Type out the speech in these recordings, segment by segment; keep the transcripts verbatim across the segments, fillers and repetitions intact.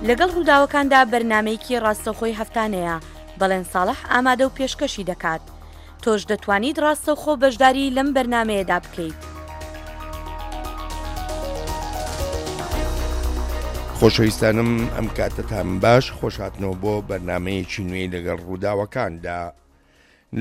لەگەڵ ڕووداوەکاندا بەرنامەیەکی ڕاستەوخۆی هەفتانەیە، بەڵێن ساڵح ئامادە و پێشکەشی دەکات. تۆش دەتوانیت ڕاستەوخۆ بەشداری لەم بەرنامەیەدا بکەیت. خۆشەویستانم ئەم کاتەتان باش، خۆشهاتنەوە بۆ بەرنامەیەکی نوێی لەگەڵ ڕووداوەکاندا.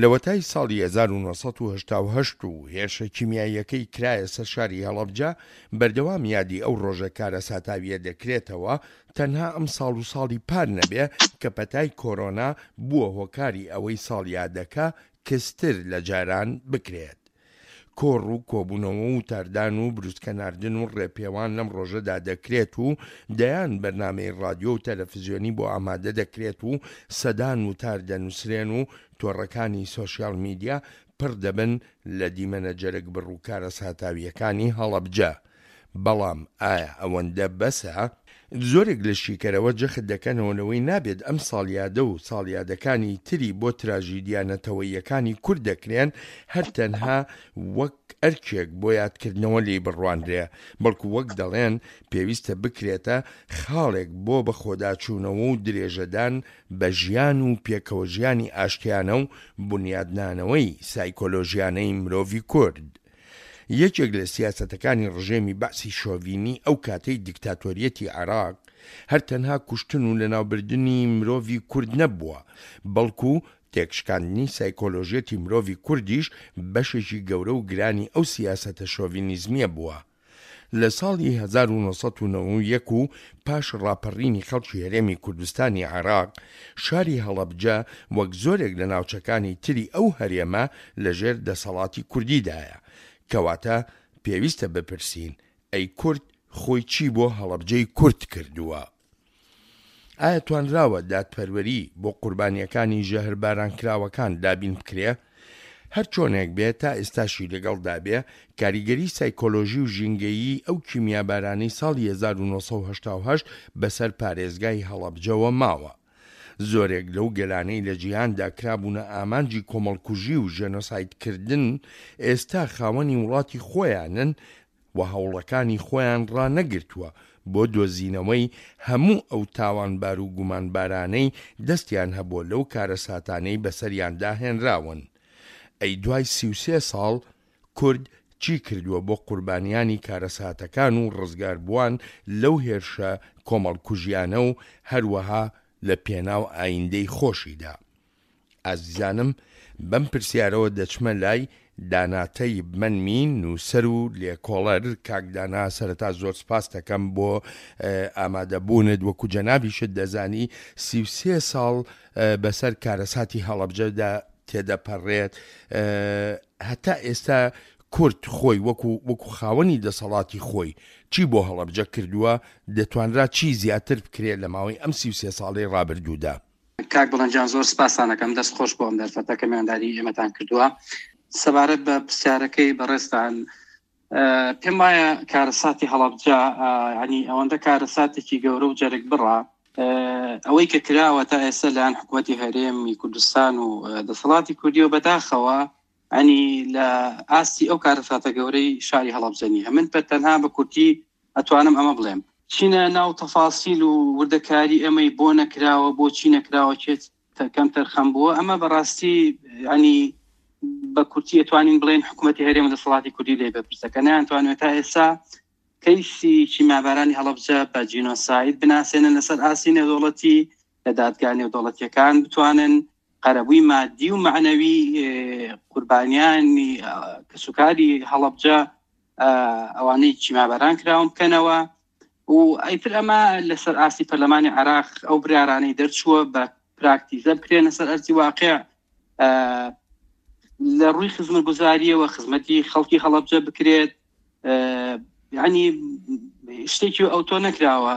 لەوەتای ساڵی هەزار و نۆ سەد و هەشتا و هەشت و هێرشە کیمیاییەکەی کرایە سەر شاری هەڵەبجە، بەردەوام یادی ئەو ڕۆژە کارەساتاویە دەکرێتەوە، تەنها ئەم ساڵ و ساڵی پار نەبێ کە پەتای کۆرۆنا بووە هۆکاری ئەوەی ساڵیادەکە کزتر لە جاران بکرێت. کۆڕ و کۆبوونەوە و وتاردان و بروسکە ناردن و ڕێپێوان لەم ڕۆژەدا دەکرێت و دەیان بەرنامەی ڕادیۆ و تەلەفزیۆنی بۆ ئامادە دەکرێت و سەدان وتار دەنووسرێن و تۆڕەکانی سۆشیال میدیا پڕ دەبن لە دیمەنە جەرگبڕ و کارەساتاوییەکانی هەڵەبجە. بەڵام ئایا ئەوەندە بەسە؟ زۆرێک لە شیکەرەوە جەخت دەکەنەوە لەوەی نابێت ئەم ساڵیادە و ساڵیادەکانی تری بۆ تراژیدیا نەتەوەییەکانی کورد دەکرێن هەر تەنها وەک ئەرکێک بۆ یادکردنەوە لێی بڕوانرێ، بەڵکو وەک دەڵێن پێویستە بکرێتە خاڵێک بۆ بەخۆداچوونەوە و درێژەدان بە ژیان و پێکەوەژیانی ئاشتیانە و بونیادنانەوەی سایکۆلۆژیانەی مرۆڤی کورد. یەکێک لە سیاسەتەکانی ڕژێمی بەعسی شۆڤینی ئەو کاتەی دیکتاتۆریەتی عێراق، هەر تەنها کوشتن و لەناوبردنی مرۆڤی کورد نەبووە، بەڵکو تێکشکاندنی سایکۆلۆژیەتی مرۆڤی کوردیش بەشێکی گەورە و گرانی ئەو سیاسەتە شۆڤینیزمیە بووە. لە ساڵی هەزار و نۆ سەد و نەوەد و یەک و پاش ڕاپەڕینی خەڵکی هەرێمی کوردستانی عێراق، شاری هەڵەبجە وەک زۆرێک لە ناوچەکانی تری ئەو هەرێمە لەژێر دەسەڵاتی کوردیدایە. کەواتە پێویستە بپرسین ئەی کورد خۆی چی بۆ هەڵەبجەی کورد کردووە؟ ئایا توانراوە دادپەروەری بۆ قوربانییەکانی ژەهربارانکراوەکان دابین بکرێ؟ هەر چۆنێک بێ تا ئێستاشی لەگەڵدا بێ کاریگەری سایکۆلۆژی و ژینگەیی ئەو کیمیابارانەی ساڵی هەزار و نۆ سەد و هەشتا و هەشت بەسەر پارێزگای هەڵەبجەوە ماوە. زۆرێک لەو گەلانەی لە جیهاندا کرابوونە ئامانجی کۆمەڵکوژی و ژێنۆسایدکردن ئێستا خاوەنی وڵاتی خۆیانن و هەوڵەکانی خۆیان ڕانەگرتووە بۆ دۆزینەوەی هەموو ئەو تاوانبار و گومانبارانەی دەستیان هەبووە لەو کارەساتانەی بەسەریاندا هێنراون. ئەی دوای سی و سێ ساڵ کورد چی کردووە بۆ قوربانیانی کارەساتەکان و ڕزگاربووان لەو هێرشە کۆمەڵکوژیانە و هەروەها لە پێناو ئایندەی خۆشیدا؟ ئازیزانم بەم پرسیارەوە دەچمە لای دانا تەیب مەنمی نووسەر و لێکۆڵەر. کاک دانا سەرەتا زۆر سپاست دەکەم بۆ ئامادەبوونت، وەکو جەنابیشت دەزانی سی و سێ ساڵ بەسەر کارەساتی هەڵەبجەدا تێدەپەڕێت، هەتا ئێستا کورد خۆی وەکو وەکو خاوەنی دەسەڵاتی خۆی چی بۆ هەڵەبجە کردووە، دەتوانرا چی زیاتر بکرێت لە ماوەی ئەم سی و سێ ساڵەی ڕابردوودا؟ کاک بڵند جان زۆر سپاستان ئەکەم، دەست خۆش بۆ ئەم دەرفەتە کە میوانداری ئێمەتان کردووە. سەبارەت بە پرسیارەکەی بەڕێزتان، پێم وایە کارەساتی هەڵەبجە ینی ئەوەندە کارەساتێکی گەورە و جەرگ بڕە، ئەوەی کە کراوە تا ئێستا لەلایەن حکوومەتی هەرێمی کوردستان و دەسەڵاتی کوردی و بەداخەوە ئەنی لە ئاستی ئەو کارەساتە گەورەی شاری هەڵەبجە نییە. من بە تەنها بە کورتی ئەتوانم ئەمە بڵێم، چینە ناو تەفاسیل و وردەکاری ئەمەی بۆ نەکراوە، بۆ چی نەکراوە، کێ کەم تەرخەم بووە، ئەمە بەڕاستی ینی بە کورتی ئەتوانین بڵێن حکوومەتی هەرێم و دەسەڵاتی کوردی لێ بەپرسە کە نەیانتوانێت تا ئێستا کەیسی کیمیابارانی هەڵەبجە بە جینۆساید بناسێنن لەسەر ئاستی نێودەوڵەتی، لە دادگا نێودەوڵەتیەکان بتوانن قەرەبووی مادی و مەعنەوی قوربانیانی کەسوکاری هەڵەبجە ئەوانەی کیمیاباران کراون بکەنەوە. و ئیتر ئەمە لەسەر ئاستی پەرلەمانی عێراق ئەو بریارانەی دەرچووە بە پراکتیزە بکرێنە سەر ئەرزی واقع، لە ڕووی خزمەتگوزاریەوە خزمەتی خەڵکی هەڵەبجە بکرێت. ینی شتێکی ئەوتۆ نەکراوە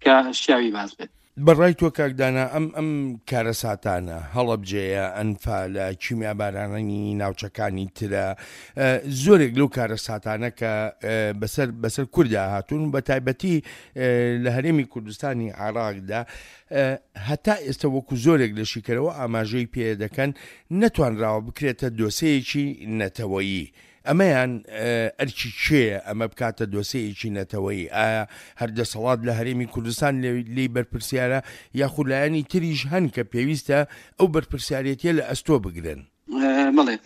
کە شیاوی باز بێت. بەڕای تۆ کاک دانا ئەم ئەم کارەساتانە، هەڵەبجەیە، ئەنفالە، کیمیابارانانی ناوچەکانی ترە، زۆرێک لەو کارەساتانە کە بەسەر بەسەر کوردا هاتوون بە تایبەتی لە هەرێمی کوردستانی عێراقدا هەتا ئێستا وەکو زۆرێک لە شیکەرەوە ئاماژەی پێ دەکەن نەتوانراوە بکرێتە دۆسەیەکی نەتەوەیی. ئەمەیان ئەرکی کێیە ئەمە بکاتە دۆسێیەکی نەتەوەیی؟ ئایا هەر دەسەڵات لە هەرێمی کوردستان لێی بەرپرسیارە یاخود لایەنی تریش هەن کە پێویستە ئەو بەرپرسیارێتیە لە ئەستۆ بگرن؟ بەڵێ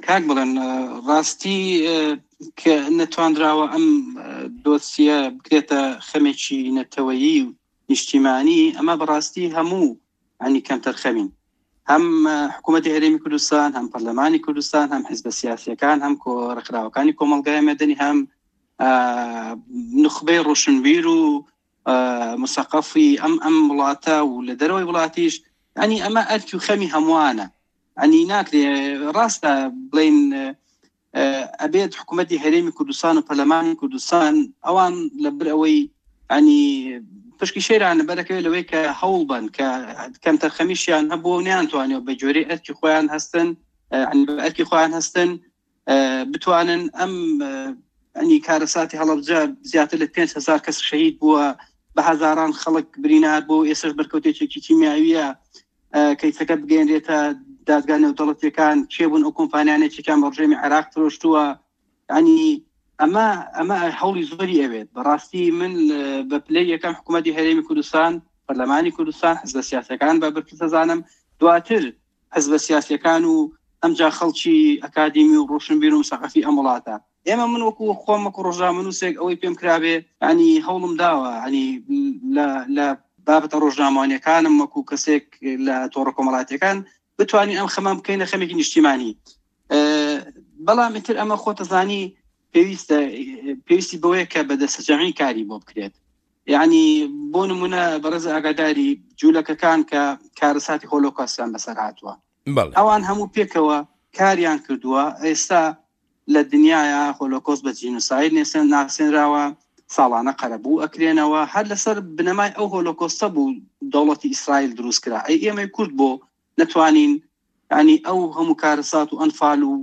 کاک بڵێن، ڕاستی کە نەتواندراوە ئەم دۆسیە بکرێتە خەمێکی نەتەوەیی و نیشتیمانی، ئەمە بەڕاستی هەموو ینی کەمتەرخەمین، هەم حکوومەتی هەرێمی کوردستان، هەم پەرلەمانی کوردستان، هەم حیزبە سیاسیەکان، هەم ڕێکخراوەکانی کۆمەڵگای مەدەنی، هەم نوخبەی ڕۆشنبیر و مسەقەفی ئەم ئەم وڵاتە و لە دەرەوەی وڵاتیش. ینی ئەمە ئەرکی و خەمی هەمووانە. ینی ناکرێ ڕاستە بڵین ئەبێت حکوومەتی هەرێمی کوردستان و پەرلەمانی کوردستان ئەوان لەبەر ئەوەی ینی پشکی شێران بەرەکەوێت لەوەی کە هەوڵ بن کە کەمتەرخەمیشیان هەبوو و نیانتوانێت بە جۆرەی ئەرکی خۆیان هەستن، ئەرکی خۆیان هەستن بتوانن ئەم ئەنی کارەساتی هەڵەبجە زیاتر لە پێنج هەزار کەس شەهید بووە، بە هەزاران خەڵک برینار بوو، ئێستاش بەرکەوتێکی کیمیاویە، کەیسەکە بگەێنرێتە دادگا نێودەوڵەتیەکان، کێ بوون ئەو کۆمپانیانەی چێکیان بە ڕژێمی عێراق فرۆشتووە. ینی ئەمە ئەمە هەوڵی زۆری ئەوێت. بەڕاستی من بە پلەی یەکەم حکوومەتی هەرێمی کوردستان، پەرلەمانی کوردستان، حزبە سیاسەکان بە بەرپرس دەزانم، دواتر حزبە سیاسیەکان و ئەمجا خەڵکی ئەکادیمی و ڕۆشنبیر و مسەقەفی ئەم وڵاتە. ئێمە من وەکو خۆم وەکو ڕۆژنامەنووسێک ئەوەی پێم کرابێ ینی هەوڵم داوە، ینی لە بابەتە ڕۆژنامەوانیەکانم وەکو کەسێک لە تۆڕە کۆمەڵاتیەکان بتوانین ئەم خەمان بکەینە خەمێکی نیشتیمانی. بەڵام ئیتر ئەمە خۆتەزانی پێویستە پێویستی بەوەیە کە بە دەستەجەمعی کاری بۆ بکرێت. یعنی بۆ نمونە بەڕێز ئاگاداری جوولەکەکان کە کارەساتی هۆلۆکاستیان بەسەر هاتووە، ئەوان هەموو پێکەوە کاریان کردووە. ئێستا لە دنیاە هۆلۆکۆست بە جینۆساید ناسێنراوە، ساڵانە قەرەبوو ئەکرێنەوە، هەر لەسەر بنەمای ئەو هۆلۆکۆستە بوو دەوڵەتی ئیسرائیل دروست کرا. ئەی ئێمەی کورد بۆ نەتوانین ینی ئەو هەموو کارەسات و ئەنفال و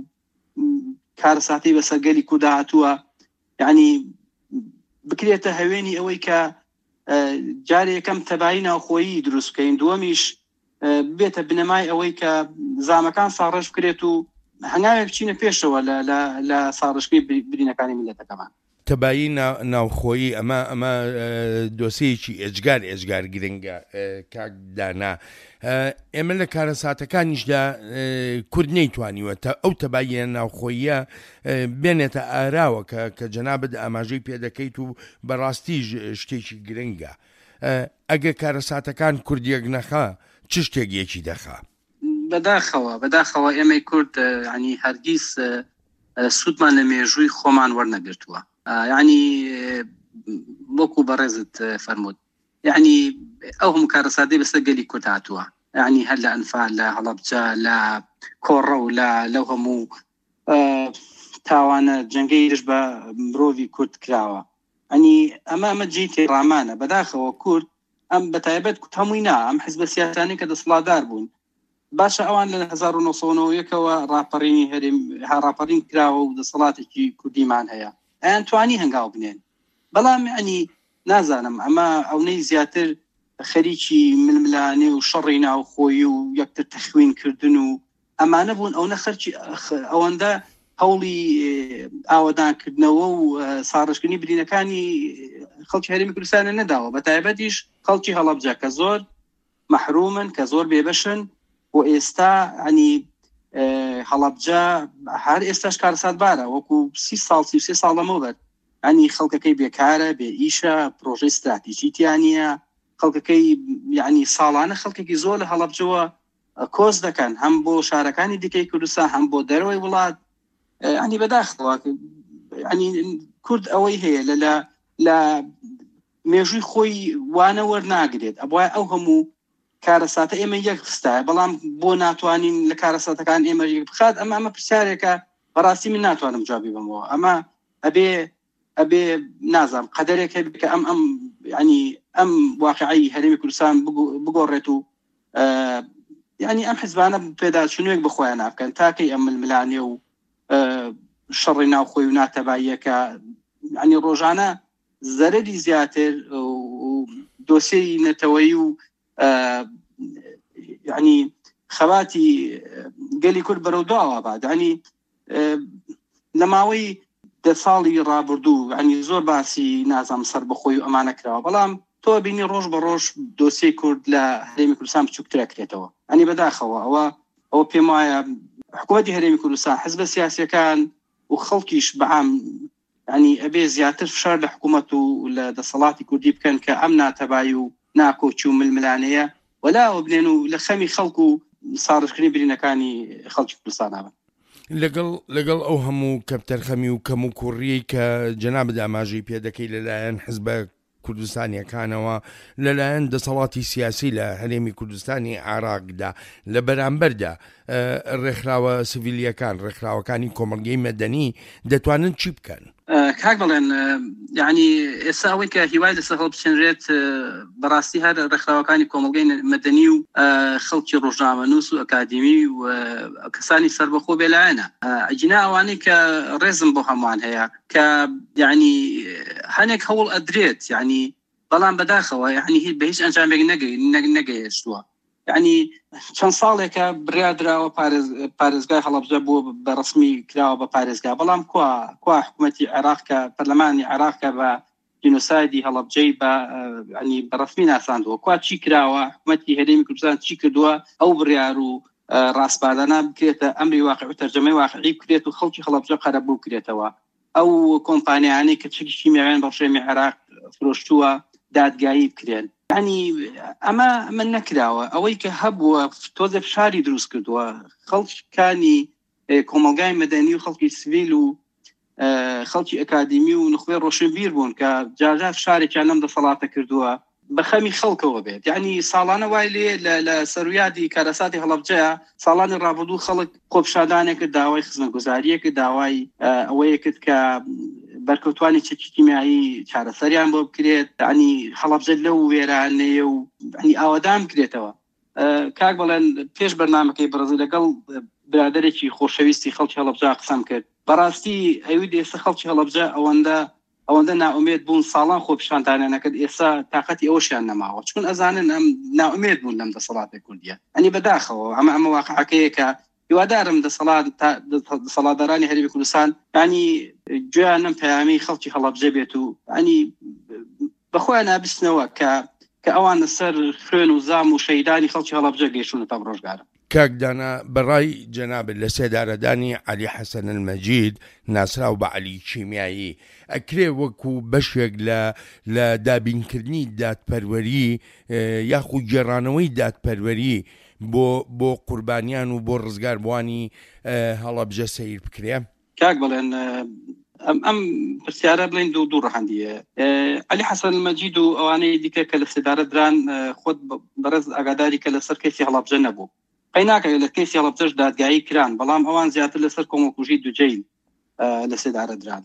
کارەساتی بەسەر گەلی کووردا هاتووە، یعنی بکرێتە هەوێنی ئەوەی کە جارێ یەکەم تەبایی ناوخۆیی دروست بکەین، دووەمیش بێتە بنەمای ئەوەی کە زامەکان ساڕێژ بکرێت و هەنگاوێک بچینە پێشەوە لە ساڕێژکردنی برینەکانی میللەتەکەمان. تەبایی ناوخۆیی ئەمە ئەمە دۆسیەکی ئێجگار ئێجگار گرنگە کاک دانا. ئێمە لە کارەساتەکانیشدا کورد نەیتوانیوە تا ئەو تەباییە ناوخۆییە بێنێتە ئاراوە کە کە جەنابت ئاماژەی پێدەکەیت و بەڕاستی شتێکی گرنگە. ئەگەر کارەساتەکان کوردیەک نەخا چ شتێک یەکی دەخا؟ بەداخەوە بەداخەوە ئێمەی کورد ینی هەرگیز سوودمان لە مێژووی خۆمان وەرنەگرتووە. یعنی وەکو بەڕێزت فەرمووت، یعنی ئەو هەموو کارەساتەی بەسەر گەلی کورد هاتووە، یعنی هەر لە ئەنفال، لە هەڵەبجە، لە کۆڕە و لە لەو هەموو تاوانە جەنگەی دژ بە مرۆڤی کورد کراوە. ینی ئەمە ئەمە جێی تێڕامانە. بەداخەوە کورد ئەم بەتایبەت کورد هەمووی نا، ئەم حیزبە سیاسیانەی کە دەسەڵاتدار بوون، باشە ئەوان لە هەزار و نۆ سەد و نەوەد و یەکەوە ڕاپەڕینی هەرێم ڕاپەڕین کراوە و دەسەڵاتێکی کوردیمان هەیە، ئەیان توانی هەنگاو بنێن. بەڵام ینی نازانم ئەمە ئەونەی زیاتر خەریکی ململانێ و شەڕی ناوخۆیی و یەکتر تەخوینکردن و ئەمانە بوون، ئەوە خەرکی ئەوەندە هەوڵی ئاوەدانکردنەوە و ساڕێژکردنی برینەکانی خەڵکی هەرێمی کوردستانە نەداوە، بە تایبەتیش خەڵکی هەڵەبجە کە زۆر مەحرومن، کە زۆر بێبەشن. و ئێستا ینی هەڵەبجە هەر ئێستاش کارەساتبارە، وەکو سی ساڵ سی و سێ ساڵ لەمەوبەر، ینی خەڵکەکەی بێکارە، بێ ئیشە، پرۆژەی استراتیژی تیا نییە، خەڵکەکەی یعنی ساڵانە خەڵکێکی زۆر لە هەڵەبجەوە کۆچ دەکەن، هەم بۆ شارەکانی دیکەی کوردستان هەم بۆ دەرەوەی وڵات. ینی بەداخەوە ینی کورد ئەوەی هەیە لە لە مێژووی خۆی وانە وەرناگرێت. ئەبوایە ئەو هەموو کارەساتە ئێمە یەک خستایە، بەڵام بۆ ناتوانین لە کارەساتەکان ئێمە یەک بخات؟ ئەمە ئەمە پرسیارێکە بەڕاستی من ناتوانم جوابی بەمەوە. ئەمە ئەبێ ئەبێ نازانم قەدەرێک هەبێ کە ئەم ئەم ینی ئەم واقعی هەرێمی کوردستان بگۆڕێت و ینی ئەم حزبانە پێداچوونێک بخۆیان نابکەن تاکەی ئەم ململانێ و شەڕی ناوخۆی و ناتەباییەکە ینی ڕۆژانە زەرەری زیاتر و دۆسیەی نەتەوەیی و ینی خەباتی گەلی کورد بەرەو دواوە بات. ینی لە ماوەی دە ساڵی ڕابردوو ینی زۆر باسی نازام سەربەخۆی و ئەمانە کراوە، بەڵام تۆ بینی ڕۆژ بە ڕۆژ دۆسیەی کورد لە هەرێمی کوردستان بچووکترە کرێتەوە. ئەنی بەداخەوە ئەوە ئەوە پێم وایە حکوومەتی هەرێمی کوردستان، حزبە سیاسیەکان و خەڵکیش بەعام ینی ئەبێ زیاتر فشار لە حکوومەت و لە دەسەڵاتی کوردی بکەن کە ئەم ناتەبایی و ناکۆکی و ململانەیە وەلاوە بنێن و لە خەمی خەڵک و ساڕشکردنی برینەکانی خەڵکی کوردستان بن. لەگەڵ لەگەڵ ئەو هەموو کەمتەرخەمی و کەم و کوڕیەی کە جەنابت ئاماژەی پێدەکەی لەلایەن حزبە کوردستانیەکانەوە، لەلایەن دەسەڵاتی سیاسی لە هەرێمی کوردستانی عێراقدا، لە بەرامبەردا ڕێکخراوە سڤیلیەکان، ڕێکخراوەکانی کۆمەڵگەی مەدەنی دەتوانن چی بکەن؟ کاک بڵێن یعنی ئێستا ئەوەی کە هیوای لەسەر هەڵبچێنرێت بەڕاستی هەر ڕێکخراوەکانی کۆمەڵگەی مەدەنی و خەڵکی ڕۆژنامەنووس و ئەکادیمی و کەسانی سەربەخۆ بێلایەنە. ئەگینا ئەوانەی کە ڕێزم بۆ هەمووان هەیە کە یعنی هەنێک هەوڵ ئەدرێت، یعنی بەڵام بەداخەوە یعنی بە هیچ ئەنجامێک نەگەیشتووە. یعنی چەند ساڵێکە بڕیار دراوە پارێزگای هەڵەبجە بووە بە ڕسمی کراوە بە پارێزگا، بەڵام کوا کوا حکوومەتی عێراق کە پەرلەمانی عێراق کە بە جینۆسایدی هەڵەبجەی بە ینی بە ڕسمی ناساندووە، کوا چی کراوە؟ حکوومەتی هەرێمی کوردستان چی کردووە ئەو بڕیار و ڕاسپاردانە بکرێتە ئەمری واقع و تەرجەمەی واقعی بکرێت و خەڵکی هەڵەبجە قەرەبوو بکرێتەوە؟ ئەو کۆمپانیانەی کە چەکی کیمیاویان بە ڕژێمی عێراق فرۆشتووە دادگایی بکرێن. ینی ئەمە ئەمە نەکراوە. ئەوەی کە هەبووە تۆزێ فشاری دروست کردووە، خەڵکانی کۆمەڵگای مەدەنی و خەڵکی سڤیل و خەڵکی ئەکادیمی و نخبەی ڕۆشنبیر بوون کە جارجار فشارێکیان لەم دەسەڵاتە کردووە بە خەمی خەڵکەوە بێت. یعنی ساڵانە وای لێ لە سەرویادی کارەساتی هەڵەبجەیە ساڵانی ڕابردوو خەڵک خۆپیشاندانێک کرد، داوای خزمەتگوزاریە کرد، داوای ئەوەیە کرد کە بەرکەوتوانی چەکی کیمیایی چارەسەریان بۆ بکرێت، ینی هەڵەبجە لەو وێرانەیە و ینی ئاوادان بکرێتەوە. کاک بڵێن پێش بەرنامەکەی بەڕێزی لەگەڵ برادەرێکی خۆشەویستی خەڵکی هەڵەبجە قسەم کرد. بەڕاستی ئەوی ئێستا خەڵکی هەڵەبجە ئەوەندە ئەوەندە نائومێد بوون، ساڵان خۆپیشاندانیان نەکرد، ئێستا تاقەتی ئەوەشیان نەماوە، چون ئەزانن ئەم نائومێد بوون لەم دەسەڵاتی کوردیە. ئەنی بەداخەوە ئەمە ئەمە واقعەکەیە کە هیوادارم دەسەڵات دەسەڵاتدارانی هەرێمی کوردستان ینی گوێیان لەم پەیامی خەڵکی هەڵەبجە بێت و ینی بەخۆیان نابستنەوە کە کە ئەوان لەسەر خوێن و زام و شەیدانی خەڵکی هەڵەبجە گەیشتونەتە ئەم ڕۆژگارە. کاک دانا، بەڕای جەنابت لە سێدارەدانی عەلی حەسەن المەجید ناسراو بە عەلی کیمیایی ئەکرێ وەکو بەشێک لە لە دابینکردنی دادپەروەری یاخود گێڕانەوەی دادپەروەری بۆ بۆ قوربانیان و بۆ ڕزگاربووانی هەڵەبجە سەیر بکرێ؟ کاک بڵێن ئەم ئەم پرسیارە بڵێن دوو دوو ڕەهەندیە. عەلی حەسەن المەجید و ئەوانەی دیکە کە لە سێدارە دران، خۆت بەڕێز ئاگاداری کە لەسەر کەیسی هەڵەبجە نەبوو، قەیناکە لە کەیسی هەڵەبجەش دادگایی کران، بەڵام ئەوان زیاتر لەسەر کۆمەڵکوژی دوجەیل لە سێدارە دران.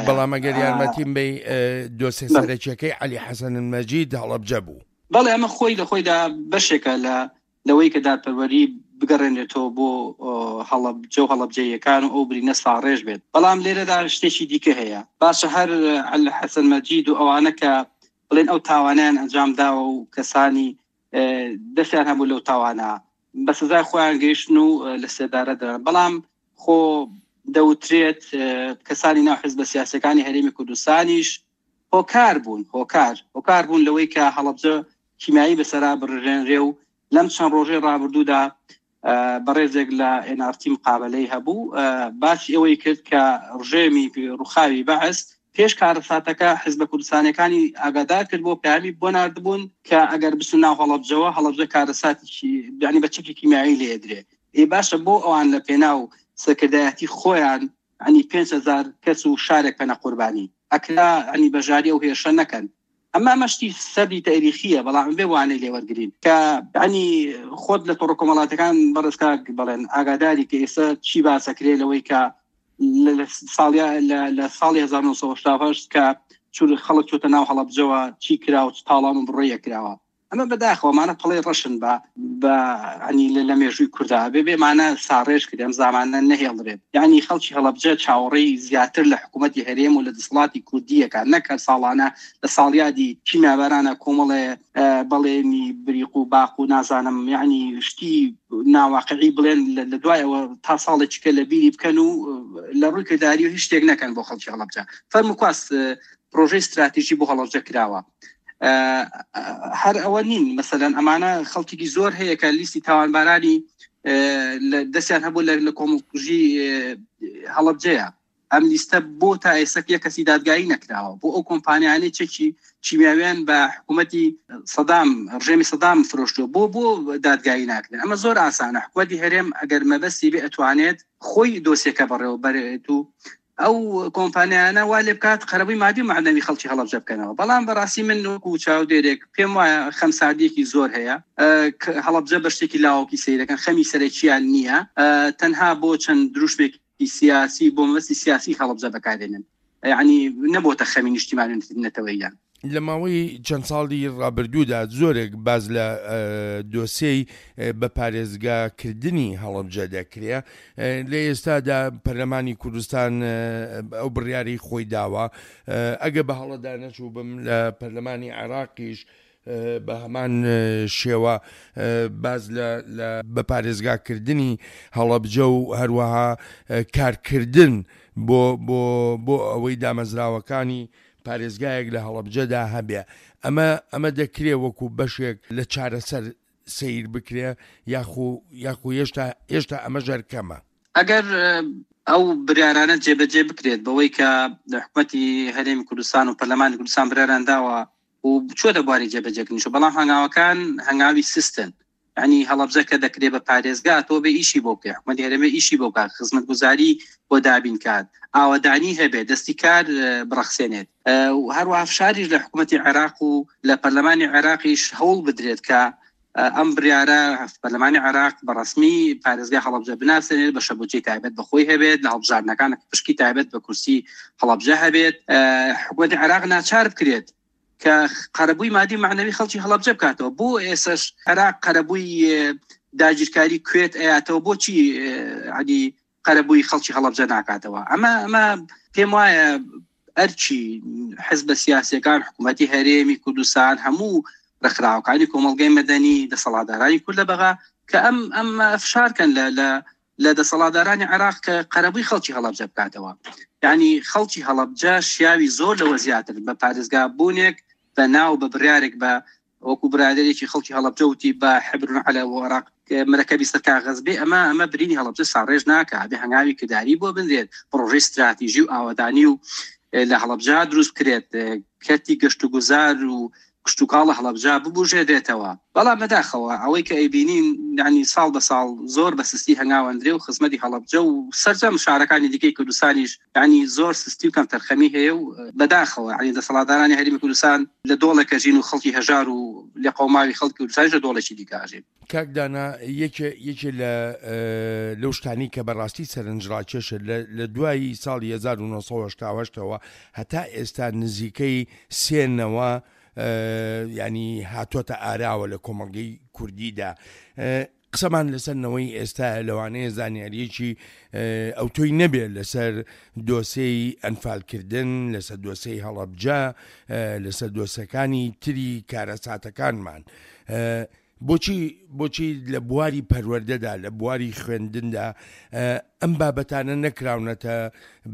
بەڵام ئەگەر یارمەتیم بەی دۆسێ سەرەکیەکەی عەلی حەسەن المەجید هەڵەبجە بوو. بەڵێ ئەمە خۆی لە خۆیدا بەشێکە لە لەوەی کە دادپەروەری بگەڕێنێتەوە بۆ هەڵەبجە و هەڵەبجەیەکان و ئەو برینە ساڕێژ بێت. بەڵام لێرەدا شتێکی دیکە هەیە. باشە هەر عەلی حەسەن مەجید و ئەوانە کە بڵێن ئەو تاوانیان ئەنجام داوە و کەسانی دەستیان هەبوو لەو تاوانە بە سزای خۆیان گەیشتن و لە سێدارە دران، بەڵام خۆ دەوترێت کەسانی ناو حزبە سیاسەکانی هەرێمی کوردستانیش هۆکار بوون، هۆکار هۆکار بوون لەوەی کە هەڵەبجە کیمیایی بەسەرا بڕژێنرێ و لەم چەند ڕۆژەی ڕابردوودا بەڕێزێک لە ئێن ئار تی مقابلەی هەبوو، باسی ئەوەی کرد کە ڕژێمی ڕوخاوی بەعس پێش کارەساتەکە حزبە کوردستانیەکانی ئاگادار کرد بۆ پەیامی بۆ ناردبوون کە ئەگەر بچن ناو هەڵەبجەوە، هەڵەبجە کارەساتێکی یعنی بە چەکی کیمیایی لێدرێ. ئێ باشە بۆ ئەوان لە پێناو سەرکردایەتی خۆیان ینی پێنج هەزار کەس و شارێک بکەنە قوربانی، ئەکرا ینی بەژاری ئەو هێرشە نەکەن. ئەمە ئەمە شتی سەردی تاریخیە، بەڵام بێ وانەی لێوەرگرین کە ینی خۆت لە تۆڕە کۆمەڵاتەکان بەڕێز کاک بڵێن ئاگاداری کە ئێستا چی باسەکرێ لەوەی کە لە ساڵی هەزار و نۆ سەد و هەشتا و هەشت کە چور خەڵک چۆتە ناو هەڵەبجەوە چی کرا و چ تاڵان و بڕۆیە کراوە. ئەمە بەداخەوە ئەمانە پەڵەی ڕەشن بە بە ینی لە مێژووی کووردا بێ بێمانە ساڕێژ کرد، ئەم زامانە نەهێڵدرێت. یعنی خەڵکی هەڵەبجە چاوەڕێی زیاتر لە حکوومەتی هەرێم و لە دەسەڵاتی کوردیەکە، نەک هەر ساڵانە لە ساڵیادی کیمیابارانە کۆمەڵێ بەڵێنی بریق و باق و نازانم یعنی شتی ناواقعی بڵێن لە دوای ئەوە تا ساڵێکی کە لە بیری بکەن و لە ڕووی کرداری و هیچ شتێک نەکەن بۆ خەڵکی هەڵەبجە. فەرموو پرۆژەی استراتیژی بۆ هەڵەبجە کراوە. هەر ئەوە نین، مەسەلەن ئەمانە خەڵکێکی زۆر هەیە کە لیستی تاوانبارانی دەستیان هەبوو لە کۆمەڵکوژی هەڵەبجەیە. ئەم لیستە بۆ تا ئێستا یەک کەسی دادگایی نەکراوە. بۆ ئەو کۆمپانیانەی چەکی کیمیاویان بە حکوومەتی سەدام، ڕژێمی سەدام فرۆشتووە، بۆ بۆ دادگایی ناکرێن. ئەمە زۆر ئاسانە. حکوومەتی هەرێم ئەگەر مەبەستی بێ ئەتوانێت خۆی دۆسیەکە بەڕێوە بەرێت و ئەو کۆمپانیانە وا لێ بکات قەرەبووی مادی و مەعنەوی خەڵکی هەڵەبجە بکەنەوە. بەڵام بەڕاستی من وەکو چاودێرێک پێم وایە خەمساردیەکی زۆر هەیە. هەڵەبجە بە شتێکی لاوەکی سەیرەکەن، خەمی سەرەکییان نییە، تەنها بۆ چەند دروشمێکی سیاسی بۆ مەبەستی سیاسی هەڵەبجە بەکارێنن، یعنی نەبۆتە خەمی نیشتیمانی نەتەوەییان. لە ماوەی چەند ساڵی ڕابردوودا زۆرێک باز لە دۆسیەی بە پارێزگاکردنی هەڵەبجە دەکرێ. لە ئێستادا پەرلەمانی کوردستان ئەو بڕیاری خۆی داوە. ئەگە بە هەڵەدا نەچوو بم لە پەرلەمانی عێراقیش بە هەمان شێوە باز لە بە پارێزگاکردنی هەڵەبجە و هەروەها کارکردن بۆ بۆ بۆ ئەوەی دامەزراوەکانی پارێزگایەک لە هەڵەبجەدا هەبێ. ئەمە ئەمە دەکرێ وەکو بەشێک لە چارەسەر سەیر بکرێ یاخو یاخو هێشتا هێشتا ئەمە ژەرکەمە. ئەگەر ئەو بریارانە جێبەجێ بکرێت بەوەی کە حکوومەتی هەرێمی کوردستان و پەرلەمانی کوردستان بریاران داوە و بچۆتە بواری جێبەجێکردنیشەوە، بەڵام هەنگاوەکان هەنگاوی سیستن. یعنی هەڵەبجە کە دەکرێت بە پارێزگا تۆ بێ ئیشی بۆ بکەی، حکوومەتی هەرێمە ئیشی بۆ بکات، خزمەتگوزاری بۆ دابین کات، ئاوەدانی هەبێت، دەستی کار بڕەخسێنێت. هەروەها فشاریش لە حکوومەتی عێراق و لە پەرلەمانی عێراقیش هەوڵ بدرێت کە ئەم بریارە پەرلەمانی عێراق بە ڕەسمی پارێزگای هەڵەبجە بناسێنێت، بە شەبوجەی تایبەت بە خۆی هەبێت، لە هەڵبژاردنەکان پشکی تایبەت بە کورسی هەڵەبجە هەبێت. حکوومەتی عێراق ناچار بکرێت کە قەرەبووی مادی مەعنەوی خەڵکی هەڵەبجە بکاتەوە. بۆ ئێسش عێراق قەرەبووی داگیرکاری کوێت ئەیاتەوە، بۆچی عادی قەرەبووی خەڵکی هەڵەبجە ناکاتەوە؟ ئەمە ئەمە پێم وایە ئەرچی حزبە سیاسیەکان، حکوومەتی هەرێمی کوردستان، هەموو ڕێکخراوەکانی کۆمەڵگەی مەدەنی، دەسەڵاتدارانی کورد لە بەغا کە ئەم ئەم فشارکەن لە لە لە دەسەڵاتدارانی عێراق کە قەرەبووی خەڵکی هەڵەبجە بکاتەوە. یعنی خەڵکی هەڵەبجە شیاوی زۆر لەوە زیاتر بە پارێزگا بوونێک بە ناو بە بڕیارێک بە وەکو برادێکی خەڵکی هەڵەبجە وتی بە حبرون عەلە وەراق مرەکەبی سەر کاغەز بێ، ئەمە ئەمە برینی هەڵەبجە ساڕێژ ناکا. بێ هەنگاوی کرداری بۆ بنرێت، پرۆژەی استراتیژی و ئاوەدانی و لە هەڵەبجە دروست بکرێت، کەرتی گەشت و گوزار و کشتوکاڵە هەڵەبجە ببوژێنرێتەوە. بەڵام بەداخەوە ئەوەی کە ئەیبینین یعنی ساڵ بە ساڵ زۆر بە سستی هەنگاوەندرێ و خزمەتی هەڵەبجە و سەرجەم شارەکانی دیکەی کوردستانیش یعنی زۆر سستی و کەمتەرخەمی هەیە و بەداخەوە یعنی دەسەڵاتدارانی هەرێمی کوردستان لە دۆڵێک ئەژین و خەڵکی هەژار و لێقەوماوی خەڵکی کوردستانیش لە دۆڵێکی دیکە ئەژین. کاک دانا، یەکێ یەکێ لە لەو شتانی کە بەڕاستی سەرنجڕاکێشە لە دوای ساڵی هەزار و نۆ سەد و هەشتا و هەشتەوە هەتا ئێستا نزیکەی سێنەوە ینی هاتۆتە ئاراوە لە کۆمەڵگەی کوردیدا. قسەمان لەسەر نەوەی ئێستا لەوانەیە زانیاریەکی ئەو تۆی نەبێت لەسەر دۆسێی ئەنفالکردن، لەسەر دۆسێی هەڵەبجە، لەسەر دۆسەکانی تری کارەساتەکانمان. بۆچی بۆچی لە بواری پەروەردەدا، لە بواری خوێندندا ئەم بابەتانە نەکراونەتە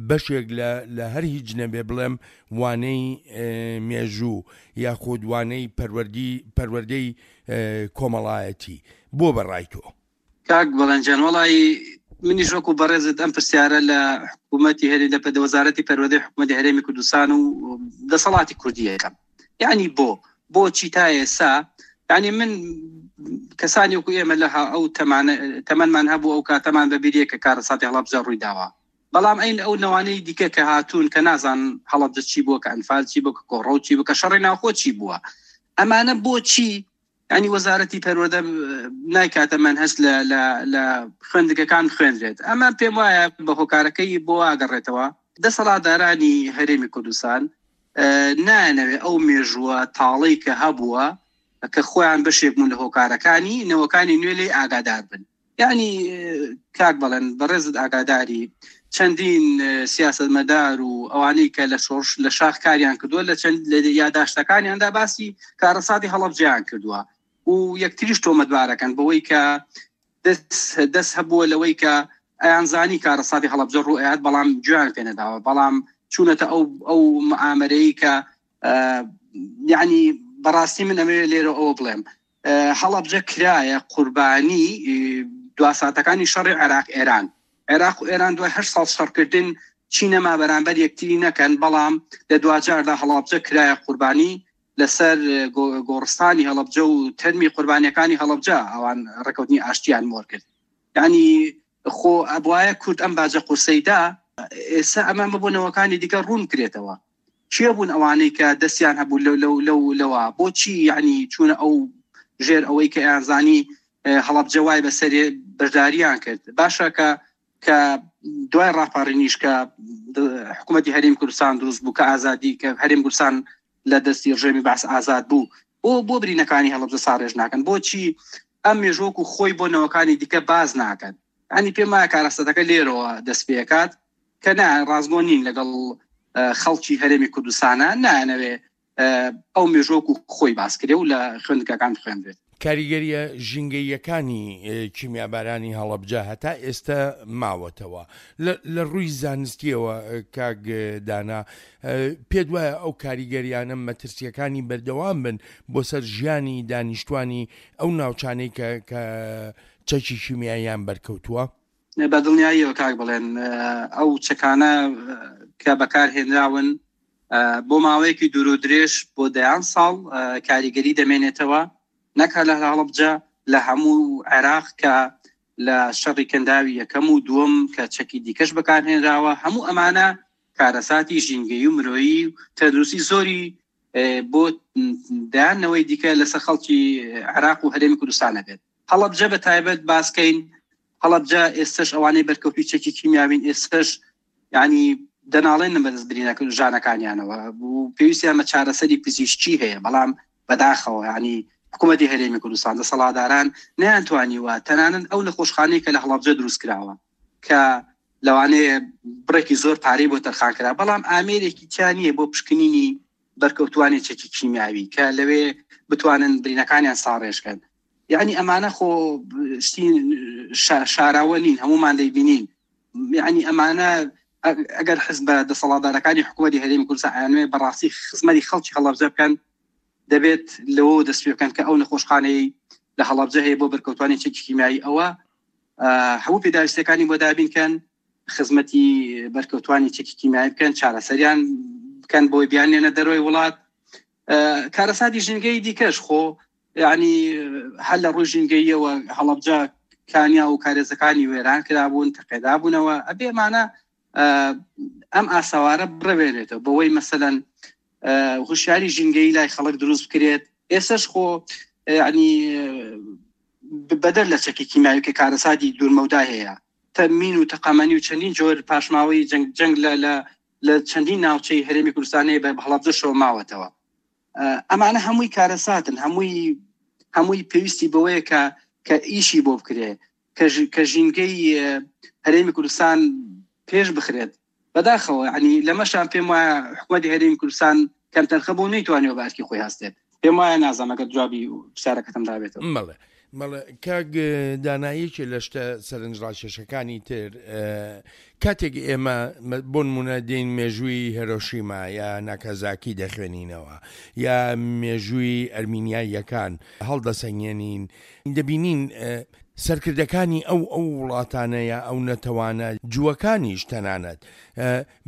بەشێک لە هەر هیچ نەبێ بڵێم وانەی مێژوو یاخود وانەی پەروەردەی کۆمەڵایەتی؟ بۆ بەڕای تۆ؟ کاک بەڵێنجان، وەڵی منیش وەکو بەڕێزت ئەم پرسیارە لە حکوومەتی هەرێم، لە وەزارەتی پەروەردەی حکوومەتی هەرێمی کوردستان و دەسەڵاتی کوردیەکەم. یعنی بۆ بۆچی تا ئێستا یعنی من کەسانی وەکو ئێمە لە ئەو تەمەنمان هەبوو ئەو کاتەمان بەبیریە کە کارەساتی هەڵەبجە ڕووی داوە، بەڵام ئەین ئەو نەوانەی دیکە کە هاتوون کە نازان هەڵەبجە چی بووە، کە ئەنفال چی بووە، کە کۆڕەو چی بووە، کە شەڕی ناوخۆ چی بووە، ئەمانە بۆچی یعنی وەزارەتی پەروەردە نایکاتە مەنهەج لە لە خوێندگەکان خوێندرێت؟ ئەمە پێم وایە بە هۆکارەکەی بۆ ئاگەڕێتەوە. دەسەڵاتدارانی هەرێمی کوردستان نایانەوێ ئەو مێژووە تاڵەی کە هەبووە کە خۆیان بەشێک بوون لە هۆکارەکانی، نەوەکانی نوێ لێی ئاگادار بن. یعنی کاک بەڵێن بەڕێزت ئاگاداری چەندین سیاسەتمەدار و ئەوانەی کە لە شۆڕش لە شاخ کاریان کردووە لە چەند لە یاداشتەکانیاندا باسی کارەساتی هەڵەبجەیان کردووە و یەکتریش تۆمەتبارەکەن بەوەی کە دەست دەست هەبووە لەوەی کە ئەیانزانی کارەساتی هەڵەبجە ڕوو ئەیات، بەڵام گوێیان پێ نەداوە، بەڵام چوونەتە ئەو ئەو معامەرەی کە یعنی بەڕاستی من ئەمەوێ لێرە ئەوە بڵێم، هەڵەبجە کرایە قوربانی دواساتەکانی شەڕی عێراق ئێران. عێراق و ئێران دوای هەشت ساڵ شەڕکردن چی نەما بەرامبەر یەکتری نەکەن، بەڵام لە دواجاردا هەڵەبجە کرایە قوربانی لەسەر گۆڕستانی هەڵەبجە و تەرمی قوربانیەکانی هەڵەبجە ئەوان ڕێکەوتنی ئاشتیان مۆر کرد. یعنی خۆ ئەبوایە کورد ئەم باجە قورسەیدا، ئێستا ئەمە بۆ نەوەکانی دیکە ڕوون کرێتەوە. کێ بوون ئەوانەی کە دەستیان هەبوو لەو لەو لەو لەوە؟ بۆچی یعنی چوونە ئەو ژێر ئەوەی کە ئەیانزانی هەڵەبجە وای بەسەرێ بەشداریان کرد؟ باشە کە کە دوای ڕاپەڕینیش کە حکوومەتی هەرێم کوردستان دروست بوو، کە ئازادی کە هەرێم کوردستان لە دەستی ڕژێمی بەعس ئازاد بوو، بۆ بۆ برینەکانی هەڵەبجە ساڕێژ ناکەن؟ بۆچی ئەم مێژوەک و خۆی بۆ نەوەکانی دیکە باز ناکەن؟ ینی پێم وایە کارەساتەکە لێرەوە دەست پێکات کە نا ڕاستگۆ نین لەگەڵ خەڵکی هەرێمی کوردستانە، نایانەوێ ئەو مێژوەک و خۆی باس کرێ و لە خوێندنگاکان بخوێندرێت. کاریگەریە ژینگەییەکانی کیمیابارانی هەڵەبجە هەتا ئێستا ماوەتەوە. لە ڕووی زانستیەوە کاک دانا، پێت وایە ئەو کاریگەریانە مەترسیەکانی بەردەوام بن بۆ سەر ژیانی دانیشتوانی ئەو ناوچانەی کە کە چەکی کیمیاییان بەرکەوتووە؟ بە دڵنیاییەوە کاک بڵێن ئەو چەکانە کە بەکارهێنراون بۆ ماوەیەکی دوور و درێژ بۆ دەیان ساڵ کاریگەری دەمێنێتەوە، نەک هەر لە هەڵەبجە، لە هەموو عێراق کە لە شەڕی کەنداوی یەکەم و دووەم کە چەکی دیکەش بەکارهێنراوە، هەموو ئەمانە کارەساتی ژینگەیی و مرۆیی و تەندروستی زۆری بۆ دەیانەوەی دیکە لەسەر خەڵکی عێراق و هەرێمی کوردستانە بێت. هەڵەبجە بە تایبەت باسکەین، هەڵەبجە ئێستش ئەوانەی بەرکەوتوی چەکی کیمیاوین ئێستش یعنی دەناڵێنن بەدەست برینەکە ژانەکانیانەوە و پێویستیان بە چارەسەری پزیشکی هەیە، بەڵام بەداخەوە یعنی حکوومەتی هەرێمی کوردستان دەسەڵاتداران نەیانتوانیوە تەنانەت ئەو نەخۆشخانەی کە لە هەڵەبجە دروست کراوە کە لەوانەیە بڕێکی زۆر پارەی بۆ تەرخان کرا، بەڵام ئامێرێکی تیا نییە بۆ پشکنینی بەرکەوتوانی چەکی کیمیاوی کە لەوێ بتوانن برینەکانیان ساڕێژکەن. یعنی ئەمانە خۆ شتی شاراوە نین، هەمومان دەیبینین. یعنی ئەمانە ئەگەر حزب بە دەسەڵاتدارەکانی حکوومەتی هەرێمی کوردستان ئەیانوێ بەڕاستی خزمەتی خەڵکی هەڵەبجە بکەن، دەبێت لەوە دەست پێ بکەن کە ئەو نەخۆشخانەی لە هەڵەبجە هەیە بۆ بەرکەوتوانی چەکی کیمیایی ئەوە هەموو پێداویستیەکانی بۆ دابین کەن، خزمەتی بەرکەوتوانی چەکی کیمیایی بکەن، چارەسەریان بکەن بۆی بیانێنە دەرەوەی وڵات. کارەساتی ژینگەی دیکەش خۆ یعنی هەر لە ڕووی ژینگەییەوە هەڵەبجە کانیا و کارێزەکانی وێران کرابوون، تەقێدابوونەوە. ئەبێ ئەمانە ئەم ئاسەوارە بڕەوێنێتەوە بەوەی مەسەلەن هوشیاری ژینگەیی لای خەڵک دروست بکرێت. ئێستاش خۆ یعنی بەدەر لە چەکی کیمیاوی کە کارەساتی دوورمەودا هەیە، تەمین و تەقەمەنی و چەندین جۆر پاشماوەی جەنگ جەنگ لە چەندین ناوچەی هەرێمی کوردستانەیە بە هەڵەبجەشەوە ماوەتەوە. ئەمانە هەمووی کارەساتن، هەمووی هەمووی پێویستی بەوەیە کە کە ئیشی بۆ بکرێ، کە ژینگەی هەرێمی کوردستان پێش بخرێت. بەداخەوە یعنی لەمەشان پێم وایە حکوومەتی هەرێمی کوردستان کەمتەرخە بوو نەیتوانیوە بە ئەرکی خۆی هەستێت. پێم وایە نازانم ئەگەر جوابی پرسیارەکەتم دابێتەوە. بەڵێ بەڵێ کاک دانا، یەکێ لە شتە سەرنجڕاکێشەکانی تر کاتێک ئێمە بۆ نمونە دێین مێژووی هێرۆشیما یا ناکازاکی دەخوێنینەوە یا مێژووی ئەرمینیاییەکان هەڵدەسەنگێنین، دەبینین سەرکردەکانی ئەو ئەو وڵاتانە یا ئەو نەتەوانە جووەکانیش تەنانەت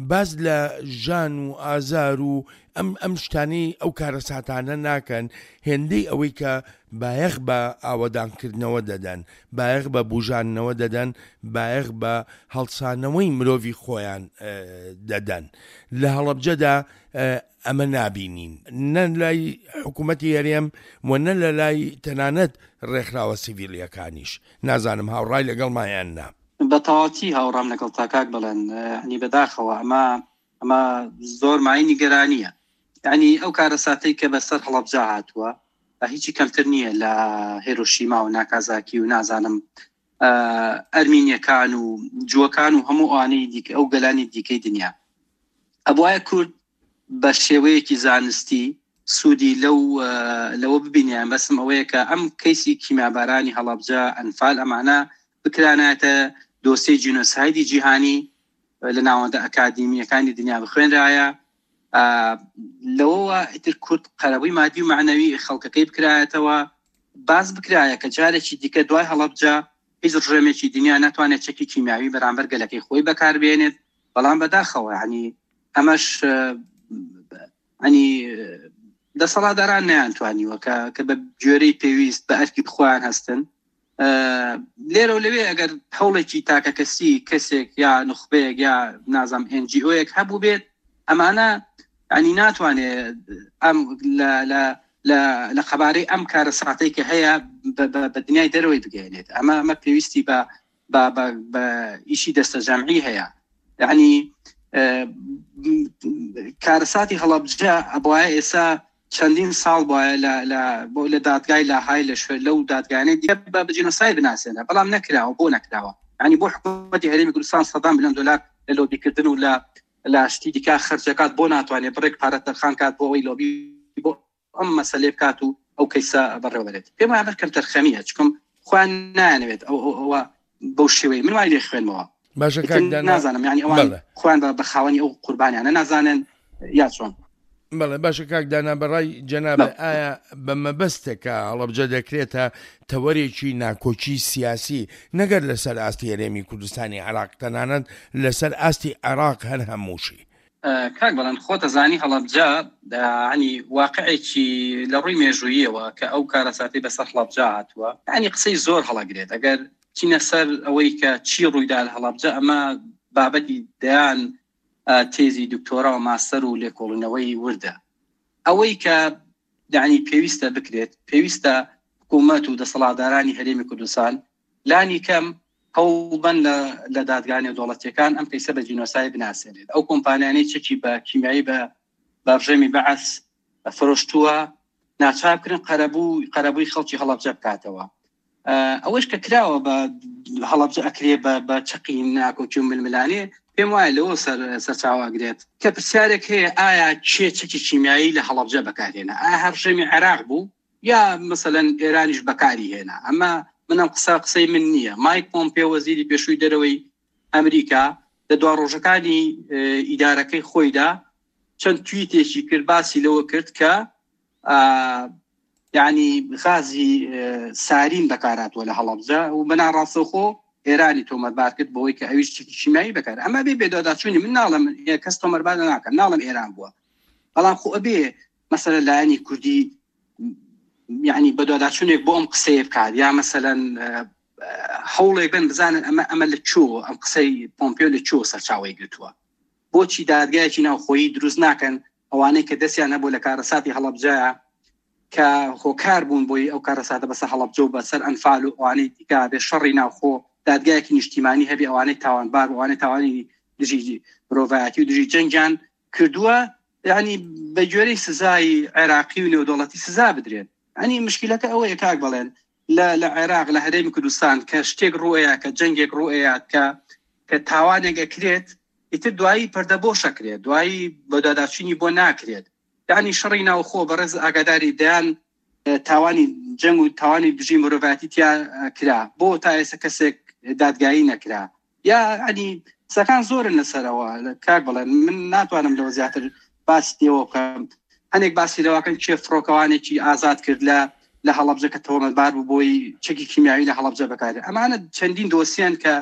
باز لە ژان و ئازار و ئەم ئەم شتانەی ئەو کارەساتانە ناکەن، هێندەی ئەوەی کە بایەخ بە ئاوەدانکردنەوە دەدەن، بایەخ بە بژانەوە دەدەن، بایەخ بە هەڵسانەوەی مرۆڤی خۆیان دەدەن. لە هەڵەبجەدا ئەمە نابینین، نە لای حکوومەتی هەرێم و نە لە لای تەنانەت ڕێکخراوە سیڤیلیەکانیش. نازانم هاوڕای لەگەڵ مایان نا. بە تەواوەتی هاوڕام لەگەڵ تا کاک بڵێن. ینی بەداخەوە ئەمە ئەمە زۆر مای نیگەرانیە. ینی ئەو کارەساتەی کە بەسەر هەڵەبجە هاتووە هیچی کەمتر نییە لە هێرۆشیما و ناکازاکی و نازانم ئەرمینیەکان و جووەکان و هەموو ئەوانەی دیکە، ئەو گەلانی دیکەی دنیا. ئەبوایە کورد بە شێوەیەکی زانستی سوودی لەو لەوە ببینیان. بەسم ئەوەیە کە ئەم کەیسی کیمیابارانی هەڵەبجە، ئەنفال، ئەمانە بکرانایەتە دۆسیەی جینۆسایدی جیهانی لە ناوەندە ئەکادیمیەکانی دنیا بخوێنرایە. لەوەوە ئیتر کورد قەرەبووی مادی و معنەوی خەڵکەکەی بکرایەتەوە، باز بکرایە کە جارێکی دیکە دوای هەڵەبجە هیچ ڕژێمێکی دنیا ناتوانێت چەکی کیمیاوی بەرامبەر گەلەکەی خۆی بەکاربێنێت. بەڵام بەداخەوە ینی ئەمەش ینی دەسەڵاتداران نەیانتوانیوە کە کە بە گوێرەی پێویست بە ئەرکی خۆیان هەستن. لێرە و لەوێ ئەگەر هەوڵێکی تاکەکەسی کەسێک یا نوخبەیەک یا نازام ئێن جی ئۆیەک هەبوو بێت، ئەمانە ینی ناتوانێت ئەم لە لە لە لە قەبارەی ئەم کارەساتەی کە هەیە بە دنیای دەرەوەی بگەێنێت. ئەمە ئەمە پێویستی بە بە ئیشی دەستە جەمعی هەیە. یعنی کارەساتی هەڵەبجە ئەبوایە ئێستا چەندین ساڵ وایە لە لە بۆ لە دادگای لاهای لە شوێن لەو دادگانەی دیکە بە جینۆساید بناسێنە، بەڵام نەکراوە. بۆ نەکراوە؟ ینی بۆ حکوومەتی هەرێمی کوردستان سەدان ملیۆن دلار لە لۆبیکردن و لە لە شتی دیکە خەرجەکات، بۆ ناتوانێت بڕێک پارە تەرخان کات بۆ ئەوەی لۆبی بۆ ئەم مەسەلەی بکات و ئەو کەیسە بەڕێوەبەرێت؟ پێم وایە کەم تەرخەمیە، چکم خۆیان نایانەوێت ئەو ئەوە بەو شێوەیە. من وای لێ خوێنمەوە. باشە کاک دانا، نازانم یعنی ئەوان خۆیان بە خاوەنی ئەو قوربانیانە نازانن یا چۆن. بەڵێ باشە کاک دانا، بەڕای جەنابت ئایا بە مەبەستێکە هەڵەبجە دەکرێتە تەوەرێکی ناکۆکی سیاسی نەگەر لەسەر ئاستی هەرێمی کوردستانی عێراق، تەنانەت لەسەر ئاستی عێراق هەر هەمووشی؟ کاک بەڵێن، خۆتە زانی هەڵەبجە ینی واقعێکی لە ڕووی مێژوویەوە کە ئەو کارەساتی بەسەر هەڵەبجە هاتووە، ینی قسەی زۆر هەڵەگرێت. ئەگەر چینە سەر ئەوەی کە چی ڕوویدا لە هەڵەبجە، ئەمە بابەتی دەیان تێزی دکتۆرا و ماستەر و لێکۆڵینەوەی وردە. ئەوەی کە یعنی پێویستە بکرێت، پێویستە حکوومەت و دەسەڵاتدارانی هەرێمی کوردستان لانی کەم هەوڵبن لە دادگا نێودەوڵەتیەکان ئەم کەیسە بە جینۆساید بناسێنێت. ئەو کۆمپانیانەی چەکی بە کیمیایی بە بە ڕژێمی بەعس فرۆشتووە ناچار بکرن قەرەبوو قەرەبووی خەڵکی هەڵەبجە بکاتەوە. ئەوەش کە کراوە بە هەڵەبجە ئەکرێ بە چەقی ناکۆکی و ململانێ، پێم وایە لەوە سەرچاوە ئەگرێت کە پرسیارێک هەیە ئایا کێ چەکی کیمیایی لە هەڵەبجە بەکارهێنا؟ ئایا هەر ڕژێمی عێراق بوو یا مثلەن ئێرانیش بەکاری هێنا؟ ئەمە منم قسە قسەی من نییە. مایک پۆمپێ وەزیری پێشووی دەرەوەی ئەمریکا لە دوا ڕۆژەکانی ئیدارەکەی خۆیدا چەند تویتێکی کرد، باسی لەوە کرد کە یعنی غازی سارین بەکاراتوە لە هەڵەبجە و بەناڕاستەوخۆ ئێرانی تۆمەتبار کرد بەوەی کە ئەویش چەکی کیمیایی بەکار. ئەمە بێ بێداداچوونی من ناڵم کەس تۆمەتبار ناکەم، ناڵم ئێران بووە، بەڵام خۆ ئەبێ مەسەلە لایەنی کوردی یعنی بەدواداچوونێک بۆ ئەم قسەیە بکات، یا مەسەلەن هەوڵێک بن بزانن ئەمە ئەمە لە چۆ ئەم قسەی پۆمپیۆ لە چۆ سەرچاوەی گرتووە. بۆچی دادگایەکی ناوخۆیی دروست ناکەن ئەوانەی کە دەستیان هەبوو لە کارەساتی هەڵەبجەیە کە هۆکار بوون بۆی ئەو کارەساتە بەسەر هەڵەبجە و بەسەر ئەنفال و ئەوانەی دیکە بێ شەڕی ناوخۆ دادگایەکی نیشتیمانی هەبێ ئەوانەی تاوانبار و ئەوانەی تاوانی دژی مرۆڤایەتی و دژی جەنگیان کردووە، یعنی بە گوێرەی سزای عێراقی و نێودەوڵەتی سزا بدرێن. ینی مشکلەکە ئەوەیە کاک بڵێن لە لە عێراق لە هەرێمی کوردستان کە شتێک ڕوئەیە، کە جەنگێک ڕوئەیە، کە کە تاوانێک ئەکرێت، ئیتر دوایی پەردە بۆ شەکرێت، دوایی بەداداچوونی بۆ ناکرێت. یعنی شەڕی ناوخۆ بەڕێز ئاگاداری دەیان تاوانی جەنگ و تاوانی دژی مرۆڤایەتی تیا کرا، بۆ تا ئێستا کەسێک دادگایی نەکرا. یا ینی قسەکان زۆرن لەسەرەوە کاک بڵێن، من ناتوانم لەوە زیاتر باسی لێوە بکەم. هەنێک باسی لەوەکەن کێ فڕۆکەوانێکی ئازاد کرد لە لە هەڵەبجە کە تۆمەتبار بوو بۆی چەکی کیمیاوی لە هەڵەبجە بەکارێت. ئەمانە چەندین دۆسیان کە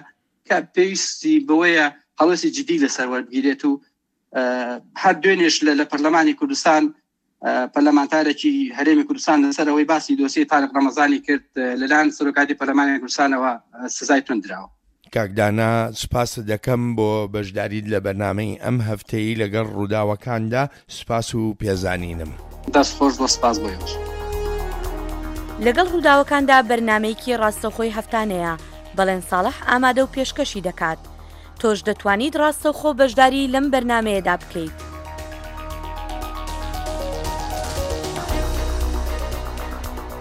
کە پێویستی بەوەیە هەڵوێستی جدی لەسەر وەربگیرێت و هەر دوێنێش لە پەرلەمانی کوردستان پەرلەمانتارێکی هەرێمی کوردستان لەسەر ئەوەی باسی دۆسیەی تارق ڕەمەزانی کرد لەلایەن سەرۆکاتی پەرلەمانی کوردستانەوە سزای توندراوە. کاکدانا سوپاست دەکەم بۆ بەشداریت لە بەرنامەی ئەم هەفتەیە لەگەڵ ڕووداوەکاندا، سوپاس و پێزانینم. دەست خۆش بۆ سپاس بۆ ئێوەش. لەگەڵ ڕووداوەکاندا بەرنمەیەکی ڕاستەوخۆی هەفتانەیە، بەڵێن ساڵح ئامادە و پێشکەشی دەکات. تۆش دەتوانیت ڕاستەوخۆ بەشداری لەم بەرنمەیەدا بکەیت.